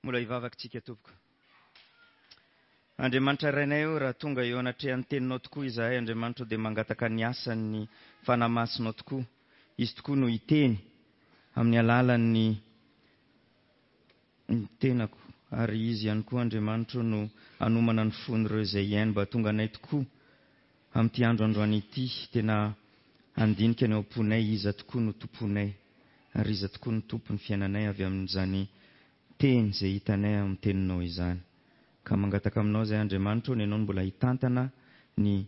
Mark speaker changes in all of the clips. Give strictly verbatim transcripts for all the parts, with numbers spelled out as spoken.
Speaker 1: Mbola hivavaka tsika tompoko. Andriamanitra Rainay o, raha tonga eo anatrehan'ny teninao tokoa izahay, Andriamanitra, dia mangataka ny asan'ny Fanahy Masinao tokoa. Izy tokoa no hiteny amin'ny alalan'ny ny tenako, ary izy ihany koa, Andriamanitra, no hanomana ny fon'ireo izay hihaino mba tonga anay tokoa amin'ity andro androany ity, tena handinika ny ao am-ponay iza tokoa no tomponay, ary iza tokoa no tompon'ny fiainanay avy amin'izany teny izay hitanay amin'ny teninao izany. Ka mangataka aminao izay, Andriamanitra, ny ianao no mbola hitantana ny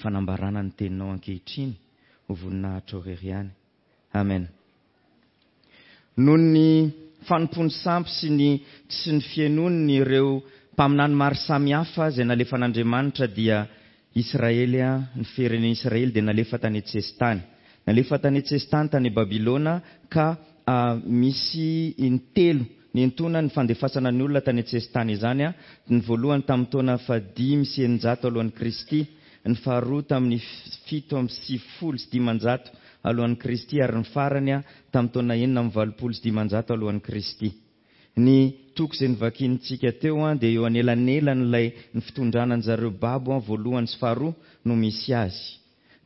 Speaker 1: fanambarana ny teninao ankehitriny ho voninahitra irery ihany. Amen. Noho ny fanompoany sampy sy ny tsy ny fihainoany ireo mpaminany maro samihafa izay nalefan'Andriamanitra, dia Israely, ny firenena Israely dia nalefa tany an-tsesitany. Nalefa tany an-tsesitany tany Babylona, ka misy intelo nentona ny fandefasana ny olona tany an-tsesitany izany. Ny voalohany tamin'ny taona fahadimy sy eninjato alohan'i Kristy, ny faharoa tamin'ny fito amby sivifolo sy dimanjato alohan'i Kristy, ary ny farany tamin'ny taona enina amby valopolo sy dimanjato alohan'i Kristy. Ny toko izay novakintsika teo dia eo anelanelan'ilay ny fitondrana an'zareo babo voalohany sy faharoa no misy azy.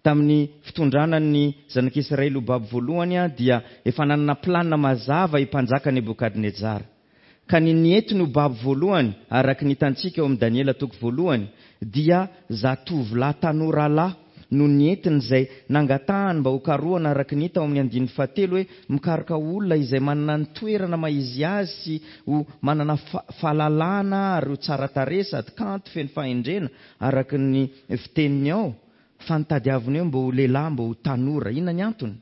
Speaker 1: Tamin'ny fitondrana ny zanak'Israely ho babo voalohany dia efa nanana planina mazava i mpanjaka Nebokadnezara. Ka ny nientiny ho babo voalohany, araka ny hitantsika eo amin'ny Daniela toko voalohany, dia zatovolahy tanora lahy no nientiny izay nangatahany mba ho karohana, araka ny hita ao amin'ny andininy fahatelo hoe mikaroka olona izay manana ny toerana maha izy azy sy ho manana fahalalana ary ho tsara tarehy sady kanto feno fahendrena araka ny fiteniny ao, fa nitadiaviny eo mba ho lehilahy, mba ho tanora. Inona ny antony?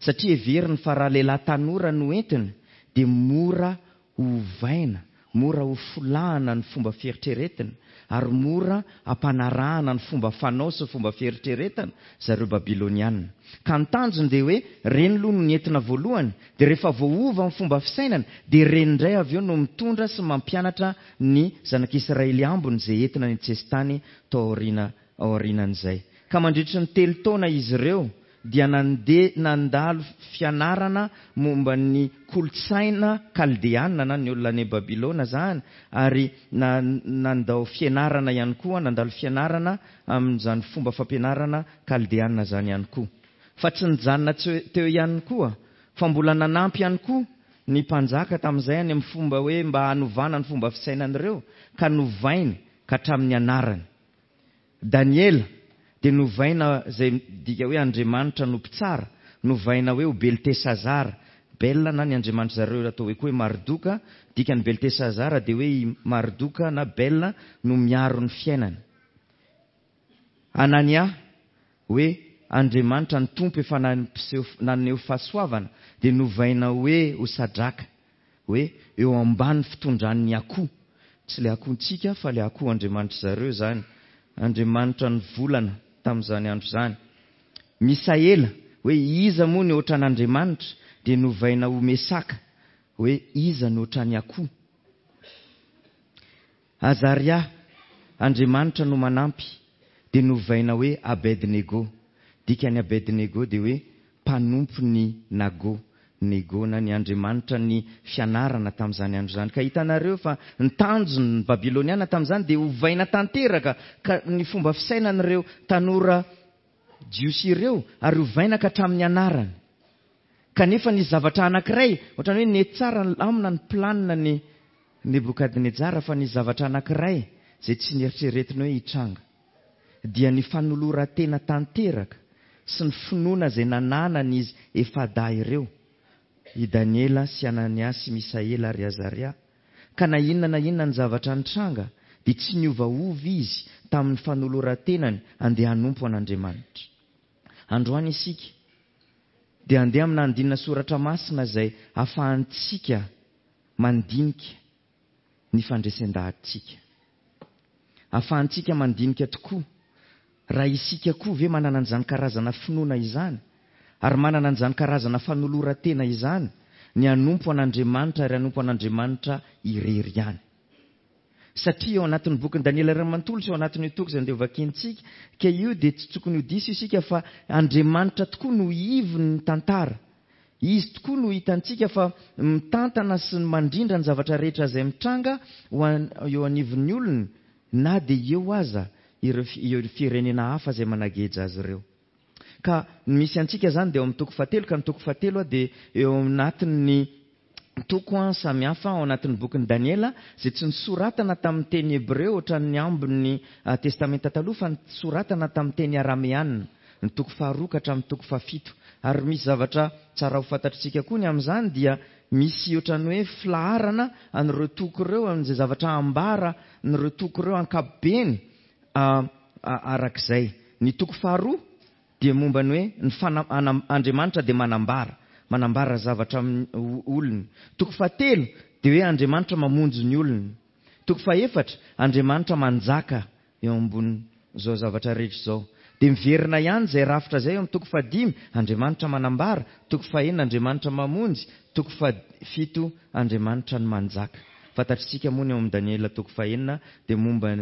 Speaker 1: Satria heveriny fa raha lehilahy tanora no entiny dia mora hovaina, mora ho folahana ny fomba fieritreretina, ary mora ampanarahana ny fomba fanao sy fomba fieritreretana zareo Babyloniana. Ka ny tanjony dia hoe reny aloha no nentina voalohany, dia rehefa voaova ny fomba fisainana dia reny indray avy eo no mitondra sy mampianatra ny zanak'Israely ambiny izay entina ny an-tsesitany tao aoriana, aorianan'izay. Ka mandritry ny telo taona izy ireo dia nandeha nandalo fianarana momba ny kolontsaina kaldeana na ny olona any Babylona zany, ary nandao fianarana ihany koa, nandalo fianarana amin'izany fomba fampianarana kaldeana zany ihany koa. Fa tsy nijanona teo ihany koa, fa mbola nanampy ihany koa ny mpanjaka tamin'izay any amin'ny fomba hoe mba hanovana ny fomba fisainan'ireo, ka novainy ka hatramin'ny anarany. Daniela dia novaina izay midika hoe Andriamanitra no mpitsara, novaina hoe ho Beltesazara. Bel na ny Andriamanitra zareo atao hoe koa hoe Mardoka, dikan'ny Beltesazara dia hoe i Mardoka na Bel no miaro ny fiainana. Anania hoe Andriamanitra ny Tompo efa nampiseho, naneho fahasoavana, dia novaina hoe ho Sadraka, hoe eo ambany fitondran'ny akoho. Tsy ilay akohontsika fa ilay akoho Andriamanitra zareo izany, Andriamanitra ny volana tamin'izany andro izany. Misaela hoe iza moa ny ohatran'Andriamanitra, dia novaina ho Mesaka hoe iza no ohatran'ny akoho. Azaria, Andriamanitra no manampy, dia novaina hoe Abednego. Dikan'ny Abednego dia hoe mpanompo ny Nago, Nego na ny Andriamanitra ny fianarana tamin'izany andro izany. Ka hitanareo fa ny tanjon'ny Babyloniana tamin'izany dia hovaina tanteraka ka ny fomba fisainan'ireo tanora jiosy ireo, ary hovaina ka hatramin'ny anarany. Kanefa ny zavatra anankiray, ohatran'ny hoe nety tsara ny lamina ny planina ny Nebokadnezara, fa ny zavatra anankiray izay tsy nieritreretina hoe hitranga dia ny fanoloran-tena tanteraka sy ny finoana izay nananany izy efa-dahy ireo, i Daniela sy Anania sy Misaela ary Azaria. Ka na inona na inona ny zavatra nitranga dia tsy niovaova izy tamin'ny fanoloran-tenany andeha hanompo an'Andriamanitra. Androany isika dia andeha amina andinina soratra masina izay ahafahantsika mandinika ny fandresen-dahatsika. Ahafahantsika mandinika tokoa raha isika koa ve manana an'izany karazana finoana izany, ary manana an'izany karazana fanoloran-tena izany, ny hanompo an'Andriamanitra ary hanompo an'Andriamanitra irery ihany. Satria eo anatin'ny bokin'i Daniela iray manontolo sy eo anatin'io toko izay andeha hovakintsika, ka io dia tsy tokony ho diso isika fa Andriamanitra tokoa no ivon'ny tantara. Izy tokoa no hitantsika fa mitantana sy mandrindra ny zavatra rehetra izay mitranga ho an, eo anivon'ny olony, na dia eo aza ireo, ireo firenena hafa izay manageja azy ireo. Ka ny misy antsika izany dia eo amin'ny toko fahatelo, ka ny toko fahatelo dia eo anatin'ny toko samihafa ao anatin'ny bokin'i Daniela, izay tsy nosoratana tamin'ny teny hebreo ohatran'ny ambin'ny testamenta taloha, fa nosoratana tamin'ny teny arameana, ny toko faharoa ka hatramin'ny toko fahafito. Ary misy zavatra tsara ho fantatritsika koa ny amin'izany, dia misy ohatran'ny hoe filaharana an'ireo toko ireo, amin'izay zavatra ambara an'ireo toko ireo ankapobeny arak'izay. Ny toko faharoa dia momba ny hoe ny fana-, ana-, Andriamanitra dia manambara, manambara zavatra amin'ny olony. Toko fahatelo dia hoe Andriamanitra mamonjy ny olony. Toko fahefatra, Andriamanitra manjaka eo ambonin'izao zavatra rehetra izao. Dia miverina ihany izay rafitra izay eo amin'ny toko fahadimy, Andriamanitra manambara. Toko fahenina, Andriamanitra mamonjy. Toko fahafito, Andriamanitra ny manjaka. Fantatritsika moa ny ao amin'ny Daniela toko fahenina dia momba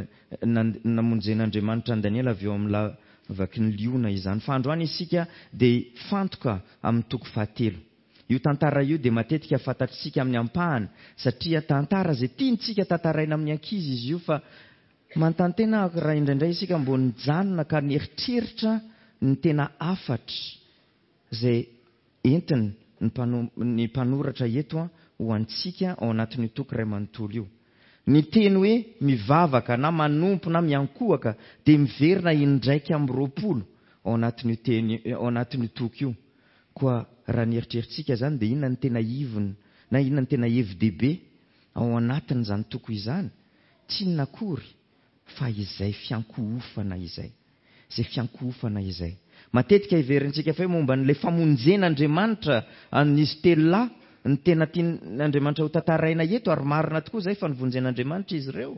Speaker 1: namonjen'Andriamanitra an'i Daniela avy eo amin'ny lavaky ny liona izany. Fa androany isika dia fantoka amin'ny toko fahatelo. Io tantara io dia matetika fantatritsika amin'ny ampahany, satria tantara izay tiantsika tantaraina amin'ny ankizy izy io, fa manontany tena raha indraindray isika mbo nijanona ka nieritreritra ny tena hafatra izay entiny ny mpano-, ny mpanoratra eto a, ho antsika ao anatin'io toko iray manontolo io. Ny teny hoe mivavaka na manompo na miankohoka dia miverina indraika amby roapolo ao anatin'io teny, ao anatin'io toko io. Koa raha nieritreritsika izany dia inona ny tena ivony na inona ny tena hevi-dehibe ao anatin'izany toko izany? Tsy inona akory fa izay fiankohofana izay. Izay fiankohofana izay. Matetika heverintsika fa hoe momba an'ilay famonjen'Andriamanitra an'izy telo lahy ny tena tian'Andriamanitra ho tantaraina eto, ary marina tokoa izay fa nivonjen'Andriamanitra izy ireo.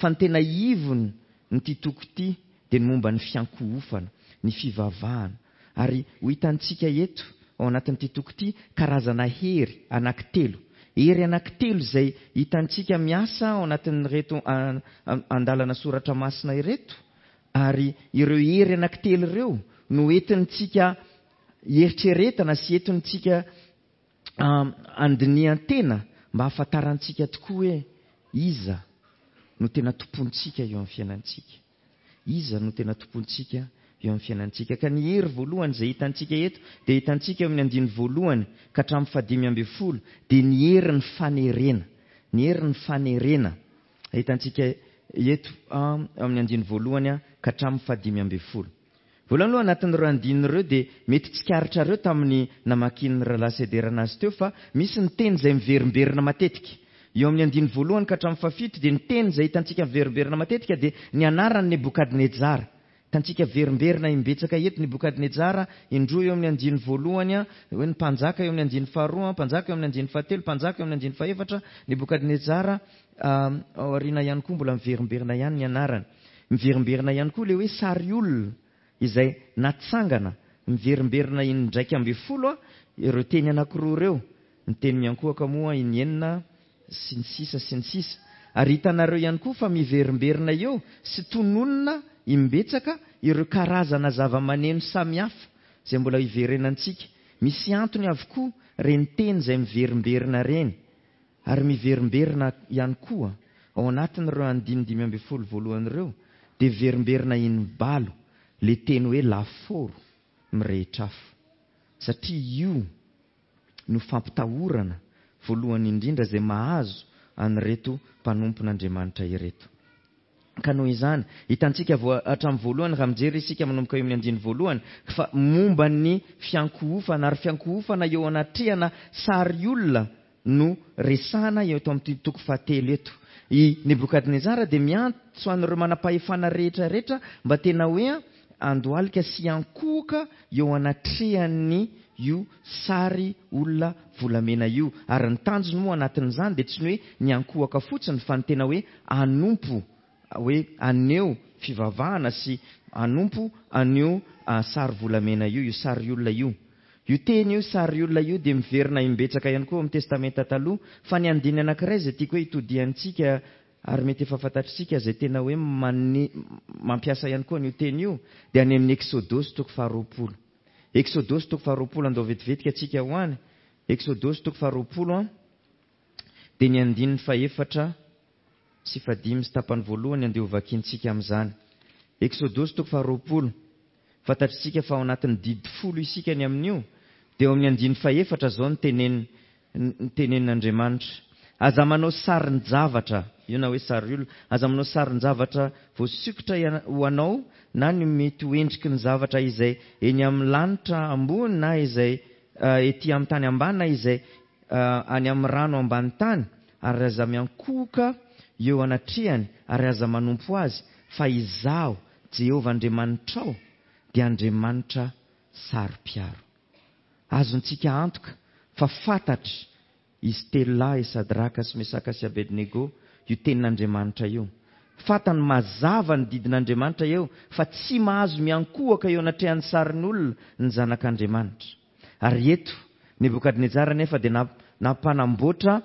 Speaker 1: Fa ny tena ivony ny ity toko ity dia ny momba ny fiankohofana, ny fivavahana. Ary ho hitantsika eto ao anatin'ity toko ity karazana hery anankitelo. Hery anankitelo izay hitantsika miasa ao anatin'ireto andalana soratra masina ireto. Ary ireo hery anankitelo ireo no entintsika eritreretana sy entintsika andinihan-tena mba hahafantarantsika tokoa hoe iza no tena tompontsika eo amin'ny fiainantsika. Iza no tena tompontsika eo amin'ny fiainantsika. Ka ny hery voalohany izay hitantsika eto dia hitantsika eo amin'ny andininy voalohany ka hatramin'ny fahadimy ambin'ny folo, dia ny herin'ny fanerena. Ny herin'ny fanerena hitantsika eto amin'ny andininy voalohany ka hatramin'ny fahadimy ambin'ny folo. Voalohany aloha anatin'ireo andininy ireo dia mety tsikaritrareo tamin'ny namakian'ny rahalahy Sederana azy teo fa misy ny teny izay miverimberina matetika. Eo amin'ny andininy voalohany ka hatramin'ny fahafito dia ny teny izay hitantsika miverimberina matetika dia ny anaran'i Nebokadnezara. Hitantsika verimberina imbetsaka eto Nebokadnezara, indroa eo amin'ny andininy voalohany, hoe ny mpanjaka eo amin'ny andininy faharoa, mpanjaka eo amin'ny andininy fahatelo, mpanjaka eo amin'ny andininy fahefatra. Nebokadnezara, aoriana ihany koa mbola miverimberina ihany ny anarany. Miverimberina ihany koa ilay hoe sary olona izay natsangana, miverimberina indraika ambin'ny folo ireo teny anankiroa ireo. Ny teny miankohoka moa inenina sy ny sisa sy ny sisa. Ary hitanareo ihany koa fa miverimberina eo sy tononina imbetsaka ireo karazana zava-maneno samihafa izay mbola hiverenantsika. Misy antony avokoa ireny teny izay miverimberina ireny. Ary miverimberina ihany koa ao anatin'ireo andininy dimy ambin'ny folo voalohany ireo dia miverimberina imbalo le teny hoe lafaoro mirehitra afo. Satria io no fampitahorana voalohany indrindra izay mahazo an'ireto mpanompon'Andriamanitra ireto. Ka noho izany, hitantsika voa-, hatramin'ny voalohany, raha mijery isika manomboka eo amin'ny andininy voalohany, fa momba ny fiankohofana, ary fiankohofana eo anatrehana sary olona no resahana eto amin'ity toko fahatelo eto. I Nebokadnezara dia miantso an'ireo manam-pahefana rehetra rehetra mba tena hoe andohalika sy ankohoka eo anatrehan'ny io sary olona volamena io. Ary ny tanjony moa anatin'izany dia tsy ny hoe ny ankohoka fotsiny, fa ny tena hoe hanompo, hoe haneho fivavahana sy hanompo an'io sary volamena io, io sary olona io. Io teny io, sary olona io, dia miverina imbetsaka ihany koa amin'ny Testamenta taloha, fa ny andininy anankiray izay tiako hoe hitodiantsika ary mety efa fantatritsika izay tena hoe mane-, mampiasa ihany koa an'io teny io, dia any amin'ny Eksodosy toko faharoapolo. Eksodosy toko faharoapolo, andao vetivetika antsika ho any. Eksodosy toko faharoapolo an, dia ny andininy fahefatra sy fahadimy sy tapany voalohany andeha ho vakintsika amin'izany. Eksodosy toko faharoapolo. Fantatritsika fa ao anatin'ny didy folo isika ny amin'io, dia eo amin'ny andininy fahefatra izao ny tenen- ny tenenin'Andriamanitra. Aza manao sarin-javatra, io na hoe sary olona, aza manao sarin-javatra voasikotra iana- ho anao na ny mety ho endriky ny zavatra izay eny amin'ny lanitra ambony na izay, eh, ety amin'ny tany ambany na izay, eh, any amin'ny rano ambany tany, ary aza miankohoka eo anatrehany ary aza manompo azy, fa izaho Jehovah Andriamanitrao dia Andriamanitra saro-piaro. Azontsika antoka fa fantatra izy telo lahy, Sadraka sy Mesaka sy Abednego, io tenin'Andriamanitra io. Fantany mazava ny didin'Andriamanitra eo fa tsy mahazo miankohoka eo anatrehan'ny sarin'olona ny zanak'Andriamanitra. Ary eto Nebokadnezara nefa dia namp-, nampanamboatra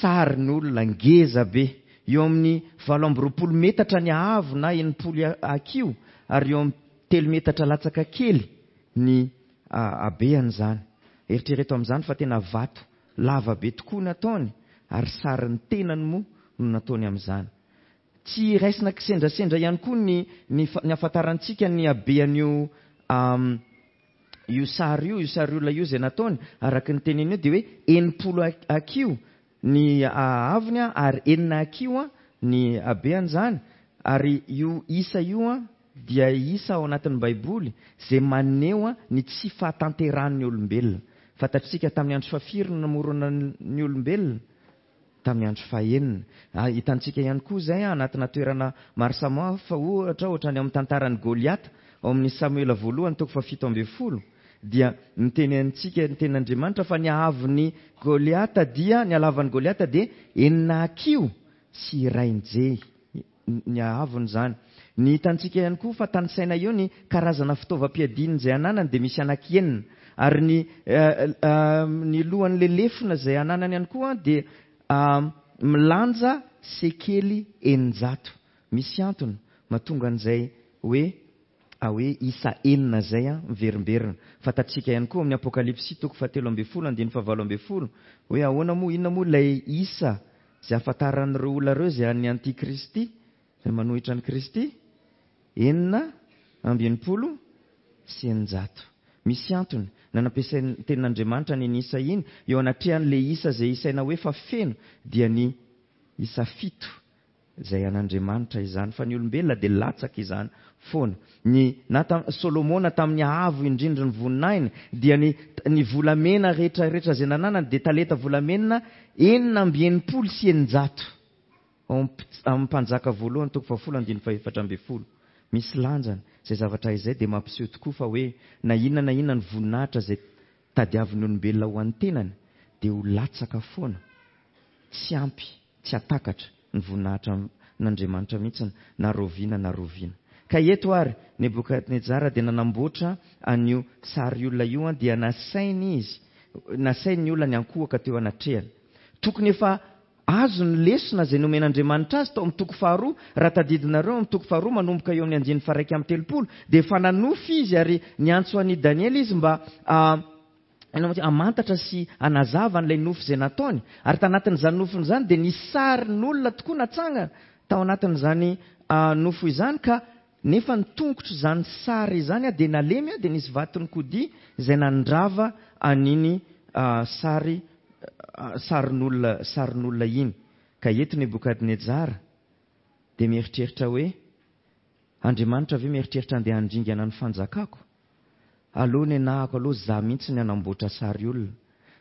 Speaker 1: sarin'olona ngeza be eo amin'ny valo amby roapolo metatra ny haavo na enimpolo hakiho, ary eo amin'ny telo metatra latsaka kely ny, a, habean'izany. Eritrereto amin'izany fa tena vato lava be tokoa nataony, ary sarin'ny tenany moa no nataony amin'izany. Tsy raisina kisendrasendra ihany koa ny, ny fa-, ny ahafantarantsika ny habean'io, am, io sary io, io sary olona io izay nataony, araka ny teniny io dia hoe enimpolo ak-, hakiho ny haavony, ary enina hakiho ny habean'izany. Ary io isa io a, dia isa ao anatin'ny Baiboly izay maneho ny tsy fahatanterahan'ny olombelona. Fantatsika tamin'ny andro fahafiry no namorona ny olombelona? Tamin'ny andro fahenina. Ah, hitantsika ihany koa izay anatina toerana maro samihafa, ohatra, ohatra ny ao amin'ny tantaran'i Goliata, ao amin'ny Samoela voalohany toko fahafito ambin'ny folo, dia miteny antsika ny tenin'Andriamanitra fa ny haavon'i Goliata dia, ny halavan'i Goliata dia enina hakiho sy iray njehy ny haavony izany. Ny hitantsika ihany koa fa tanisaina eo ny karazana fitaovam-piadiana izay ananany dia misy anankienina, ary ny, eh, eh, ny lohan'ilay lefona izay ananany ihany koa dia, eh, milanja sekely eninjato. Misy antony mahatonga an'izay hoe, ah, hoe isa enina izay, ah, miverimberina. Fantatsika ihany koa amin'ny Apokalypsy toko fahatelo ambin'ny folo andininy fahavalo ambin'ny folo hoe ahoana moa, inona moa ilay isa izay ahafantaran'ireo olona ireo izay an'ny antikristy, izay manohitra an'i Kristy? Enina amby enimpolo sy eninjato. Misy antony nanampiasain'ny tenin'Andriamanitra ny isa iny eo anatrehan'ilay isa izay isaina hoe fa feno, dia ny isa fito izay an'Andriamanitra izany, fa ny olombelona dia latsaka izany foana. Ny na tam-, Solomona tamin'ny haavo indrindra ny voninahiny dia ny, ny volamena rehetra rehetra izay nananany dia talenta volamena enina amby enimpolo sy eninjato. Ao am-, amin'ny mpanjaka voalohany toko fahafolo andininy fahefatra ambin'ny folo. Misy lanjany izay zavatra izay dia mampiseho tokoa fa hoe na inona na inona ny voninahitra izay tadiavin'ny olombelona ho an'ny tenany dia ho latsaka foana, tsy ampy, tsy hatakatra ny voninahitra n'Andriamanitra mihitsy na roviana na roviana. Ka eto ary Nebokadnezara dia nanamboatra an'io sary olona io, dia nasainy izy, nasainy ny olona niankohoka teo anatrehany. Tokony efa azo ny lesona izay nomen'Andriamanitra azy tao amin'ny toko faharoa. Raha tadidinareo amin'ny toko faharoa manomboka eo amin'ny andininy faha-iraika amby telopolo dia efa nanofy izy ary niantso an'i Daniela izy mba, ah, hamantatra sy hanazava an'ilay nofy izay nataony. Ary tanatin'izany nofiny izany dia nisy sarin'olona tokoa natsangana tao anatin'izany, ah, nofo izany, ka nefa ny tongotro izany sary izany, ah, dia nalemy, ah, dia nisy vaton'ny kodia izay nandrava an'iny, ah, sary, ah, sarin'olona, sarin'olona iny. Ka eto Nebokadnezara dia mieritreritra hoe Andriamanitra ve mieritreritra andeha handringana ny fanjakako? Aloha ny anahako, aloha za mihitsy ny hanamboatra sary olona.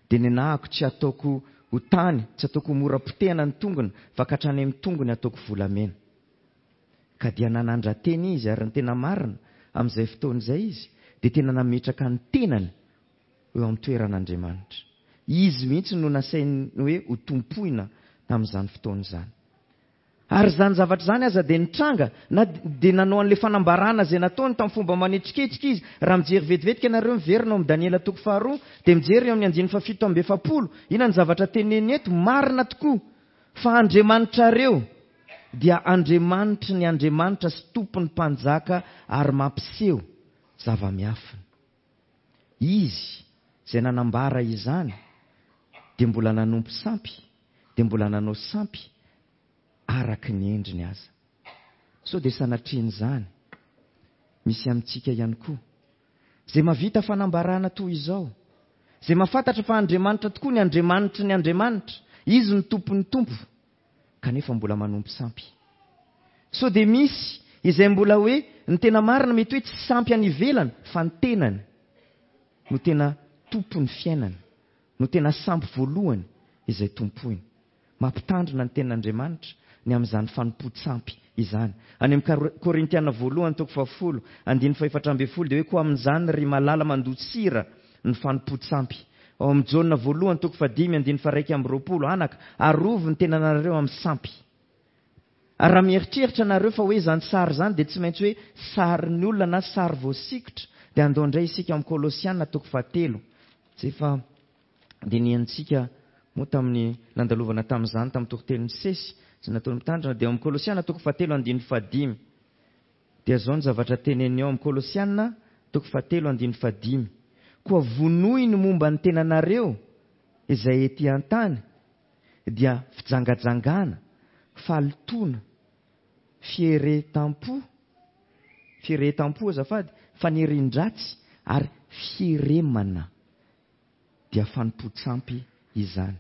Speaker 1: Dia ny anahako tsy ataoko ho tany, tsy ataoko ho mora potehana ny tongony, fa ka hatrany amin'ny tongony ataoko volamena. Ka dia nanandra-tena izy, ary ny tena marina amin'izay fotoana izay izy dia tena nametraka ny tenany eo amin'ny toeran'Andriamanitra. Izy mihitsy no nasainy hoe ho tompoina tamin'izany fotoana izany. Ary izany zavatra izany aza dia nitranga, na dia nanao an'ilay fanambarana izay nataony tamin'ny fomba manetriketrika izy. Raha mijery vetivetika ianareo miverina ao amin'ny Daniela toko faharoa, dia mijery eo amin'ny andininy fahafito amby efapolo. Inona ny zavatra teneniny eto? Marina tokoa fa Andriamanitrareo dia Andriamanitry ny Andriamanitra sy Tompon'ny mpanjaka ary mampiseho zava-miafina. izy izay nanambara izany dia mbola nanompo sampy, dia mbola nanao sampy araka ny endriny aza. Sao dia sanatrian'izany misy amintsika ihany koa izay mahavita fanambarana toy izao, izay mahafantatra fa Andriamanitra tokoa ny Andriamanitry ny Andriamanitra, Izy no tompon'ny Tompo, kanefa mbola manompo sampy. Sao dia misy izay mbola hoe ny tena marina mety hoe tsy sampy any ivelany fa ny tenany no tena tompon'ny fiainana, no tena sampy voalohany izay tompoiny. Mampitandrina ny tenin'Andriamanitra ny amin'izany fanompoan-tsampy izany. Any amin'ny Korintiana voalohany toko fahafolo andininy fahefatra ambin'ny folo dia hoe koa amin'izany ry malala mandosira ny fanompoan-tsampy. Ao amin'ny Jaona voalohany toko fahadimy andininy faharaika amby roapolo, anaka, arovy ny tenanareo amin'ny sampy. Ary raha mieritreritra nareo fa hoe izany sary izany dia tsy maintsy hoe sarin'ny olona na sary voasikotra, dia andao indray isika amin'ny Kolosiana toko fahatelo. Izay efa dinihantsika moa tamin'ny nandalovana tamin'izany tamin'ny toritenin'ny sesy izay nataon'ny mpitandrina, dia ao amin'ny Kolosiana toko fahatelo andininy fahadimy. Dia izao ny zavatra teneniny ao amin'ny Kolosiana toko fahatelo andininy fahadimy. Koa vonoy ny momba ny tenanareo izay ety an-tany, dia fijangajangana, fahalotoana, fieretam-po, fieretam-po azafady, fanirian-dratsy ary fieremana, dia fanompoan-tsampy izany.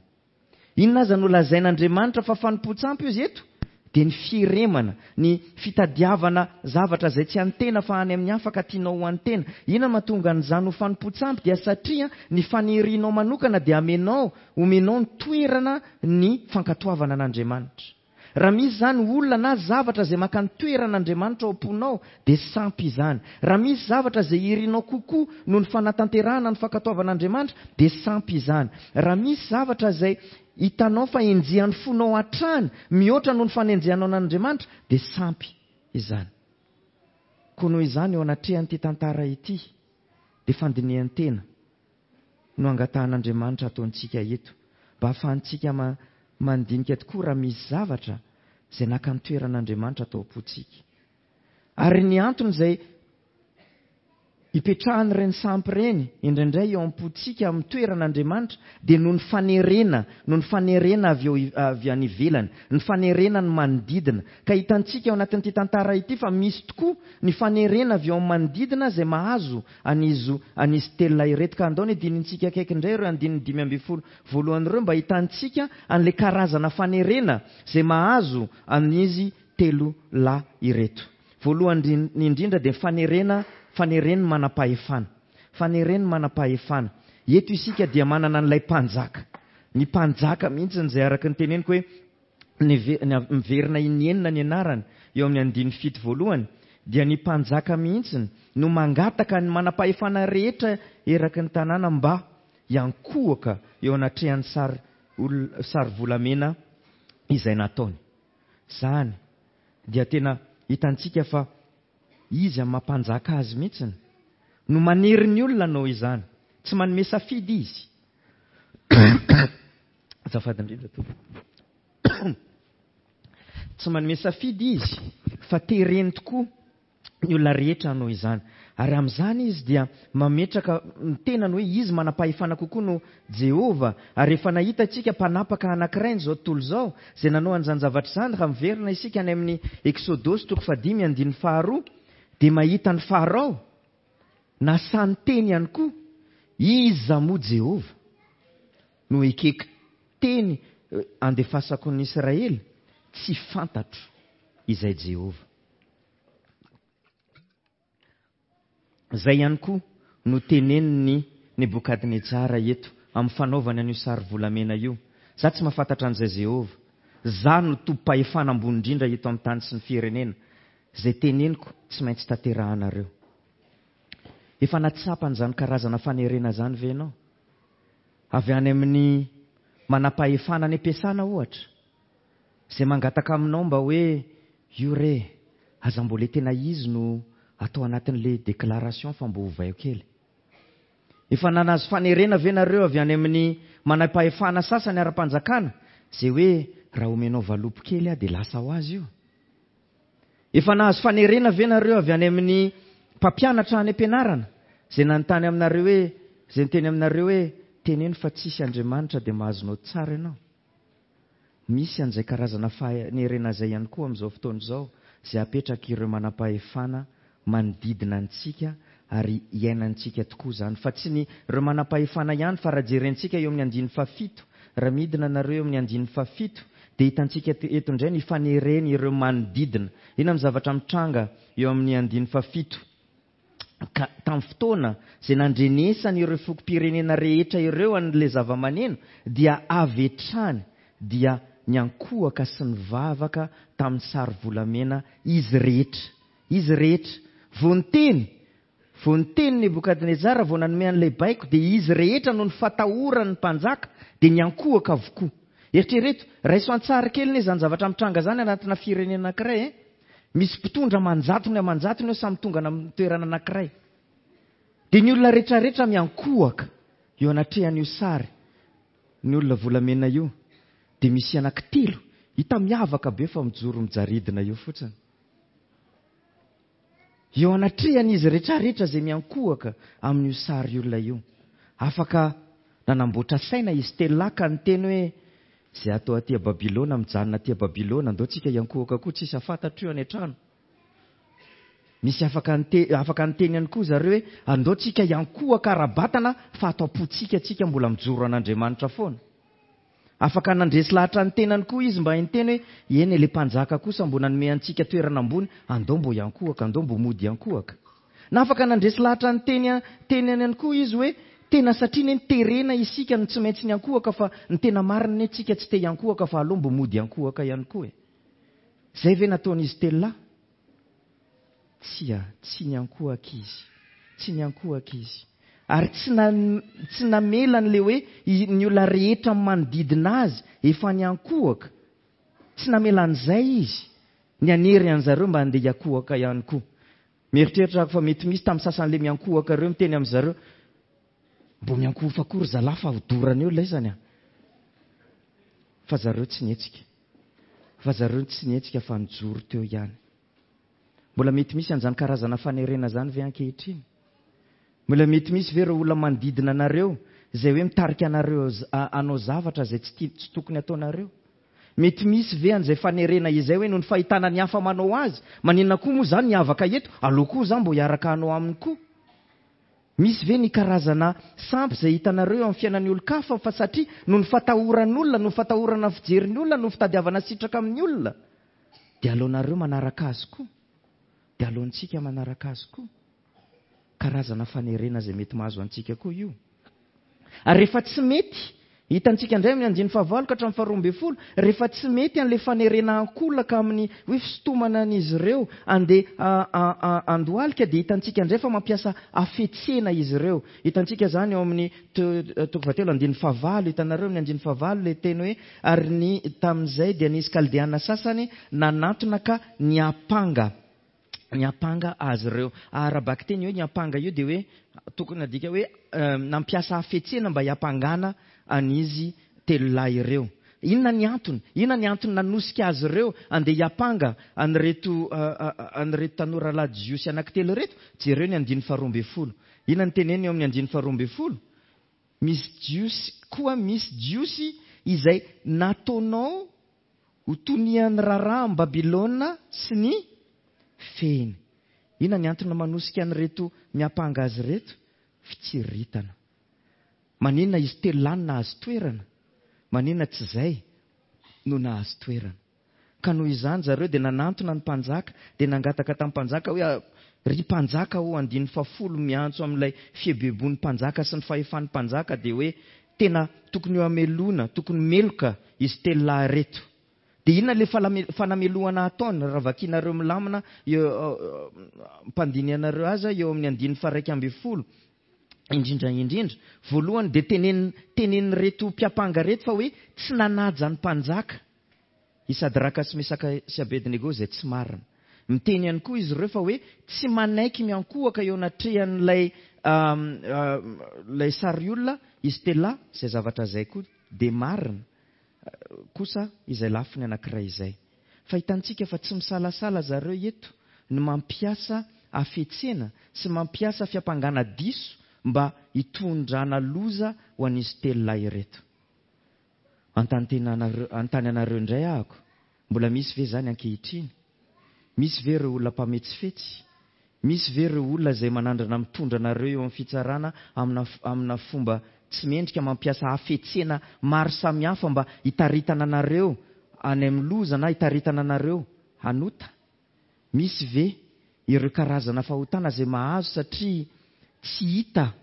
Speaker 1: Inona aza no lazain'Andriamanitra fa fanompoan-tsampy izy eto? Dia ny fieremana, ny fitadiavana zavatra izay tsy an'ny tena fa any amin'ny hafa ka tianao ho an'ny tena. Inona mahatonga an'izany ho fanompoan-tsampy? Dia satria ny fanirianao manokana dia amenao, omenao ny toerana ny fankatoavana an'Andriamanitra. Raha misy izany olona na zavatra izay maka ny toeran'Andriamanitra ao am-ponao, dia sampy izany. Raha misy zavatra izay irinao kokoa noho ny fanatanterahana ny fankatoavan'Andriamanitra, dia sampy izany. Raha misy zavatra izay hitanao fa enjehan'ny fonao hatrany mihoatra noho ny fanenjehanao an'Andriamanitra, dia sampy izany. Koa noho izany eo anatrehan'ity tantara ity, dia fandinihan-tena no angatahan'Andriamanitra ataontsika eto, mba hahafahantsika ma-, mandinika tokoa raha misy zavatra izay naka ny toeran'Andriamanitra atao am-pontsika. Ary ny antony izay ipetrahan'ireny sampy ireny indraindray eo am-pontsika amin'ny toeran'Andriamanitra dia noho ny fanerena, noho ny fanerena avy eo, avy any ivelany, ny fanerena ny manodidina. Ka hitantsika ao anatin'ity tantara ity fa misy tokoa ny fanerena avy eo amin'ny manodidina izay mahazo an'izy, an'izy telo lahy ireto. Ka andao ny dinintsika akaiky indray ireo andininy dimy ambin'ny folo voalohany ireo mba hitantsika an'ilay karazana fanerena izay mahazo an'izy telo lahy ireto. Voalohany indrindra dia fanerena, fanereny manam-pahefana. Fanereny manam-pahefana. Eto isika dia manana an'ilay mpanjaka. Ny mpanjaka mihitsy izay araka ny teneniko hoe miverina inenina ny anarany eo amin'ny andininy fito voalohany, dia ny mpanjaka mihitsy no mangataka ny manam-pahefana rehetra eraky ny tanàna mba hiankohoka eo anatrehan'ny sary ol-, sary volamena izay nataony. Izany dia tena hitantsika fa izy amin'ny mampanjaka azy mihitsy no manery ny olona hanao izany. Tsy manome safidy izy. Azafady indrindra tompoko. Tsy manome safidy izy fa tereny tokoa ny olona rehetra hanao izany. Ary amin'izany izy dia mametraka ny tenany hoe izy manam-pahefana kokoa no Jehovah. Ary efa nahita antsika mpanapaka anankiray izao tontolo izao izay nanao an'izany zavatra izany. Raha miverina isika any amin'ny Eksodosy toko fahadimy andininy faharoa dia mahita ny Farao nasany teny ihany koa, iza moa Jehovah no ekeko teny andefasako ny Israely? Tsy fantatro izay Jehovah. Izay ihany koa no tenenin'ny Nebokadnetsara eto amin'ny fanaovany an'io sary volamena io. Za tsy mahafantatra an'izay Jehovah. Za no tompom-pahefana ambony indrindra eto amin'ny tany sy ny firenena. Izay teneniko tsy maintsy tanterahanareo. Efa natsapa an'izany karazana fanerena izany ve ianao? Avy any amin'ny manam-pahefana any am-piasana ohatra, izay mangataka aminao mba hoe io re, aza mbola tena izy no atao anatin'ilay déclaration fa mbo ovaio kely. Efa nanazo fanerena ve nareo avy any amin'ny manam-pahefana sasany ara-panjakana, izay hoe raha omenao valopy kely aho dia lasa ho azy io? Efa nahazo fanerena ve nareo avy any amin'ny mpampianatra any am-pianarana, izay nanontany aminareo hoe Izay niteny aminareo hoe teneno fa tsisy Andriamanitra dia mahazo naoty tsara ianao. Misy an'izay karazana fanerena izay ihany koa amin'izao fotoana izao, izay apetraka ireo manam-pahefana manodidina antsika ary iainantsika tokoa izany. Fa tsy ny ireo manam-pahefana ihany, fa raha jerentsika eo amin'ny andininy fahafito, raha midina nareo eo amin'ny andininy fahafito, dia hitantsika eto indray ny fanereny ireo manodidina. Inona ny zavatra mitranga eo amin'ny andininy fahafito? Ka tamin'ny fotoana izay nandrenesany ireo fokom-pirenena rehetra ireo an'ilay zava-maneno, dia avy hatrany dia niankohoka sy nivavaka tamin'ny sary volamena izy rehetra. Izy rehetra. Vao niteny, vao niteny Nebokadnezara, vao nanome an'ilay baiko, dia izy rehetra noho ny fatahoran'ny mpanjaka dia niankohoka avokoa. Eritrereto, raiso an-tsary kely anie izany zavatra mitranga izany anatina firenena anankiray, eh? Misy mpitondra aman-jatony aman-jatony eo samy tonga amin'ny toerana anankiray. Dia ny olona rehetrarehetra miankohoka eo anatrehan'io sary, ny olona volamena io, dia misy anankitelo hita miavaka be fa mijoro mijaridina eo fotsiny. Eo anatrehan'izy rehetrarehetra izay miankohoka amin'io sary olona io. Afaka nanamboatra saina izy telo lahy ka niteny hoe izay atao aty Babylona, mijanona aty Babylona, andao tsika hiankohoka koa, tsisy afantatro io any an-trano. Misy afaka nite-, afaka niteny ihany koa zareo hoe andao tsika hiankohoka ara-batana fa ato am-pontsika tsika mbola mijoro an'Andriamanitra foana. Afaka nandresy lahatra ny tenany koa izy mba hiteny hoe eny ilay mpanjaka kosa mbo nanome antsika toerana ambony, andao mbo hiankohoka, andao mbo mody hiankohoka. Na afaka nandresy lahatra ny teny, tenany ihany koa izy hoe tena satria ne niterena isika no tsy maintsy niankohoka fa ny tena marina ne tsika tsy te hiankohoka fa aleo mbo mody hiankohoka ihany koa e. Zay ve nataon'izy telo lahy? Tsia, tsy niankohoka izy. Tsy niankohoka izy. Ary tsy na-, tsy namela an'ilay hoe i-, ny olona rehetra manodidina azy efa niankohoka. Tsy namela an'izay izy. Nianery an'zareo mba handeha hiankohoka ihany koa. Mieritreritra aho fa mety misy tamin'ny sasan'ilay miankohoka ireo miteny amin'zareo, mbo miankohoka koa ry zalahy fa hodorana eo ilay izany a. Fa zareo tsy nihetsika. Fa zareo tsy nihetsika fa nijoro teo ihany. Mbola mety misy an'izany karazana fanerena izany ve ankehitriny? Mbola mety misy ve ireo olona manodidina anareo izay hoe mitarika anareo z-, a-, hanao zavatra izay tsy tia, tsy tokony ataonareo? Mety misy ve an'izay fanerena izay hoe noho ny fahitana ny hafa manao azy, maninona koa moa izany miavaka eto, aleo koa za mbo hiaraka hanao aminy koa? Misy ve ny karazana sampy izay hitanareo eo amin'ny fiainan'ny olon-kafa fa satria noho ny fatahoran'olona, noho ny fatahorana fijerin'ny olona, noho ny fitadiavana sitraka amin'ny olona, dia aleonareo manaraka azy koa, dia aleontsika manaraka azy koa. Karazana fanerena izay mety mahazo antsika koa io. Ary rehefa tsy mety, hitantsika indray amin'ny andininy fahavalo ka hatramin'ny faharoa ambin'ny folo, rehefa tsy mety an'ilay fanerena ankolaka amin'ny hoe fisintomana an'izy ireo andeha, a, a, a, andohalika, dia hitantsika indray fa mampiasa hafetsena izy ireo. Hitantsika izany eo amin'ny to-, toko fahatelo andininy fahavalo, hitanareo amin'ny andininy fahavalo ilay teny hoe ary ny tamin'izay dia nisy kaldeana sasany nanantona ka niampanga. Niampanga azy ireo. Ara-bakiteny hoe niampanga io dia hoe tokony adika hoe, eh, nampiasa hafetsena mba hiampangana an'izy telo lahy ireo. Inona ny antony? Inona ny antony nanosika azy ireo andeha hiampanga an'ireto, eh, eh, an'ireto tanora lahy jiosy anankitelo ireto? Jereo ny andininy faharoa ambin'ny folo. Inona ny teneny eo amin'ny andininy faharoa ambin'ny folo? Misy jiosy koa, misy jiosy izay nataonao ho tonian'ny raharaha amin'i Babylona sy ny fehiny. Inona ny antony manosika an'ireto miampanga azy ireto? Fitsiritana. Maninona izy telo lahy no nahazo toerana? Maninona tsy izay no nahazo toerana? Ka noho izany zareo dia nanantona ny mpanjaka, dia nangataka tamin'ny mpanjaka hoe, ah, ry mpanjaka ô, andininy fahafolo miantso amin'ilay fieboebon'ny mpanjaka sy ny fahefan'ny mpanjaka, dia hoe tena tokony ho amelona, tokony meloka izy telo lahy ireto. Dia inona ilay falame-, fanamelohana ataony? Raha vakinareo milamina eo, eo, mpandinihanareo aza eo amin'ny andininy faha-iraika ambin'ny folo. Indrindra indrindra, voalohany dia tenen-, tenenin'ireto mpiampanga ireto fa hoe tsy nanaja ny mpanjaka i Sadraka sy Mesaka sy Abednego izay tsy marina. Miteny ihany koa izy ireo fa hoe tsy manaiky miankohoka eo anatrehan'ilay, um, um, ilay sary olona izy telo lahy, izay zavatra izay koa dia marina kosa izay lafiny anankiray izay. Fa hitantsika fa tsy misalasala zareo eto ny mampiasa hafetsena sy mampiasa fiampangana diso mba hitondrana loza ho an'izy telo lahy ireto. Anontany anareo indray ahako, mbola misy ve izany ankehitriny? Misy ve ireo olona mpametsifetsy? Misy ve ireo olona izay manandrana mitondra anareo eo amin'ny fitsarana amina, amina fomba tsy mendrika, mampiasa hafetsena maro samihafa mba hitaritana anareo any amin'ny loza na hitaritana anareo hanota? Misy ve ireo karazana fahotana izay mahazo satria tsy hita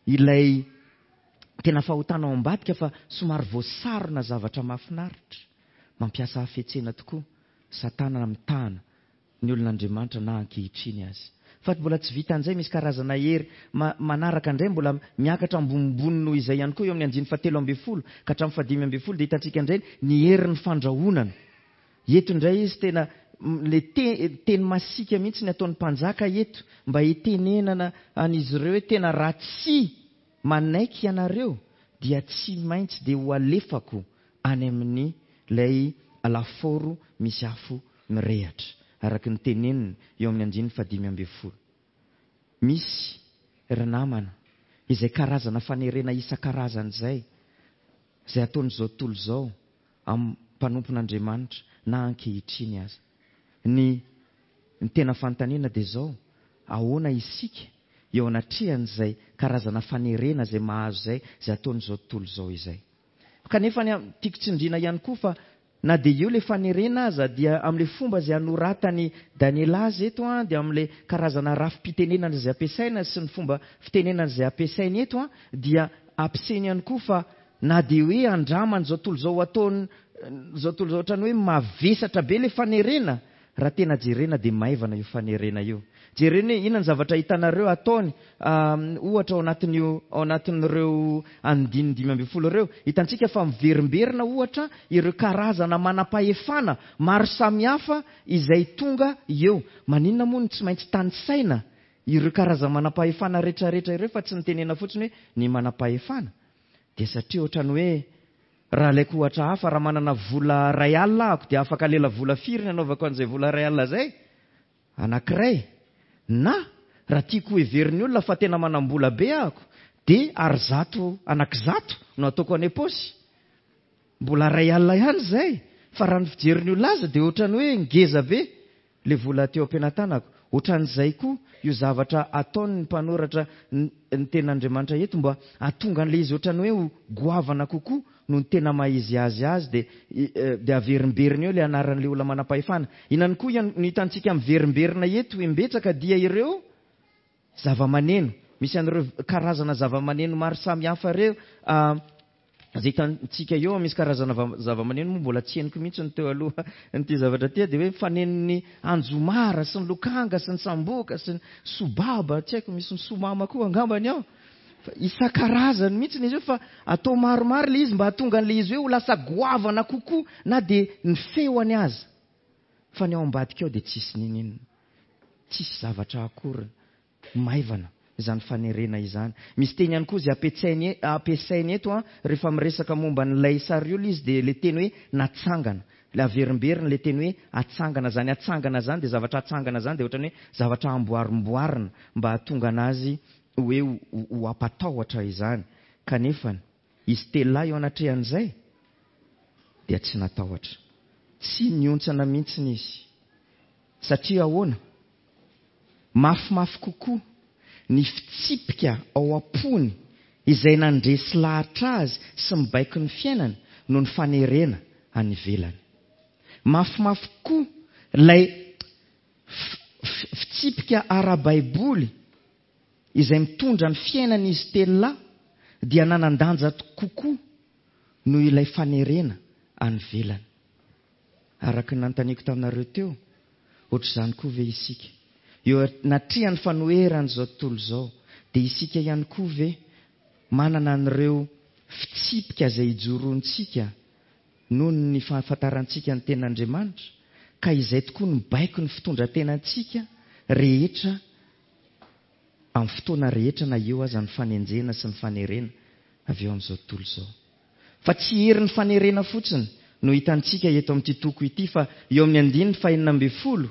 Speaker 1: ilay tena fahotana ao ambadika fa somary voasarona zavatra mahafinaritra? Mampiasa hafetsena tokoa Satana mitahana ny olon'Andriamanitra na ankehitriny azy. Fa mbola tsy vita an'izay, misy karazana hery manaraka indray mbola miakatra ambonimbony noho izay ihany koa eo amin'ny andininy fahatelo ambin'ny folo ka hatramin'ny fahadimy ambin'ny folo dia hitantsika indray ny herin'ny fandrahonana. Eto indray izy tena le teny masiaka mihitsy ny ataon'ny mpanjaka eto mba hitenenana an'izy ireo hoe tena raha tsy manaiky ianareo dia tsy maintsy dia ho alefako any amin'ny ilay lafaoro misy afo mirehatra, araka ny teneniny eo amin'ny andininy fahadimy ambin'ny folo. Misy ry namana izay karazana fanerena isan-karazany izay, izay ataon'izao tontolo izao amin'ny mpanompon'Andriamanitra na ankehitriny aza. Ny, ny tena fanontaniana dia izao, ahoana isika eo anatrehan'izay karazana fanerena izay mahazo izay, izay ataon'izao tontolo izao izay? Kanefa ny tiako tsindriana ihany koa fa na dia eo ilay fanerena aza dia amin'ilay fomba izay anoratany Daniela azy eto an, dia amin'ilay karazana rafi-pitenenana izay ampiasaina sy ny fomba fitenenana izay ampiasainy eto an, dia ampiasainy ihany koa fa na dia hoe andraman'izao tontolo izao ataon izao tontolo izao ohatrany hoe mavesatra be ilay fanerena, raha tena jerena dia maivana io fanerena io. Jerena hoe inona ny zavatra hitanareo ataony ohatra ao anatin'io, ao anatin'ireo andininy dimy ambin'ny folo ireo. Hitantsika fa miverimberina ohatra ireo karazana manam-pahefana maro samihafa izay tonga eo. Maninona moa no tsy maintsy tanisaina ireo karazana manam-pahefana rehetrarehetra ireo fa tsy nitenena fotsiny hoe ny manam-pahefana? Dia satria ohatrany hoe raha alaiko ohatra hafa, raha manana vola iray alina ahako dia afaka lela vola firy ny anaovako an'izay vola iray alina izay? Anankiray. Na raha tiako heverin'ny olona fa tena manam-bola be ahako dia ary zato anankizato no ataoko any am-paosy. Mbola iray alina ihany izay, fa raha ny fijerin'ny olona azy dia ohatrany hoe ngeza be ilay vola teo am-pelatanako. Ohatran'izay koa io zavatra ataon'ny mpanoratra ny tenin'Andriamanitra eto mba hahatonga an'ilay izy ohatrany hoe ho goavana kokoa noho ny tena maha izy azy azy, dia dia averimberina eo ilay anaran'ilay olona manam-pahefana. Inona koa no hitantsika miverimberina eto imbetsaka dia ireo zava-maneno. Misy an'ireo karazana zava-maneno maro samihafa ireo izay hitantsika eo. Misy karazana zava-maneno moa mbola tsy henoko mihitsy ny teo aloha nyity zavatra ty, dia hoe fanenon'ny anjomara sy ny lokanga sy ny samboka sy ny sobaba, tsy haiko, misy ny somama koa angambany ao. Fa isan-karazany mihitsy izy io, fa atao maromaro ilay izy mba hahatonga an'ilay izy hoe ho lasa goavana kokoa na dia ny feoany aza. Fa ny ao ambadika ao dia tsisy nininona, tsisy zavatra akory, maivana izany fanerena izany. Misy teny ihany koa izay ampiasainy, ampiasainy eto an, rehefa miresaka momba an'ilay sariolona izy dia ilay teny hoe natsangana. Ilay averimberina ilay teny hoe atsangana. Izany atsangana izany dia zavatra atsangana izany dia ohatrany hoe zavatra amboarimboarina mba hahatonga anazy hoe ho ampatahotra izany. Kanefa izy telo lahy eo anatrehan'izay dia tsy natahotra, tsy niontsana mihitsy izy. Satria ahoana? Mafimafy kokoa ny fitsipika ao am-pony izay nandresy lahatra azy sy mibaiko ny fiainany noho ny fanerena any ivelany. Mafimafy kokoa ilay fitsipika ara-baiboly izay mitondra ny fiainana izy telo lahy dia nanan-danja kokoa noho ilay fanerena any ivelany. Araka ny nanontaniako taminareo teo, ohatr'izany koa ve isika? Eo anatrehan'ny fanoheran'izao tontolo izao, dia isika ihany koa ve manana an'ireo fitsipika izay ijoroantsika noho ny fahafantarantsika ny tenin'Andriamanitra, ka izay tokoa no mibaiko ny fitondran-tenantsika rehetra amin'ny fotoana rehetra na eo aza ny fanenjehana sy ny fanerena avy eo amin'izao tontolo izao? Fa tsy herin'ny fanerena fotsiny no hitantsika eto amin'ity toko ity, fa eo amin'ny andininy fahenina ambin'ny folo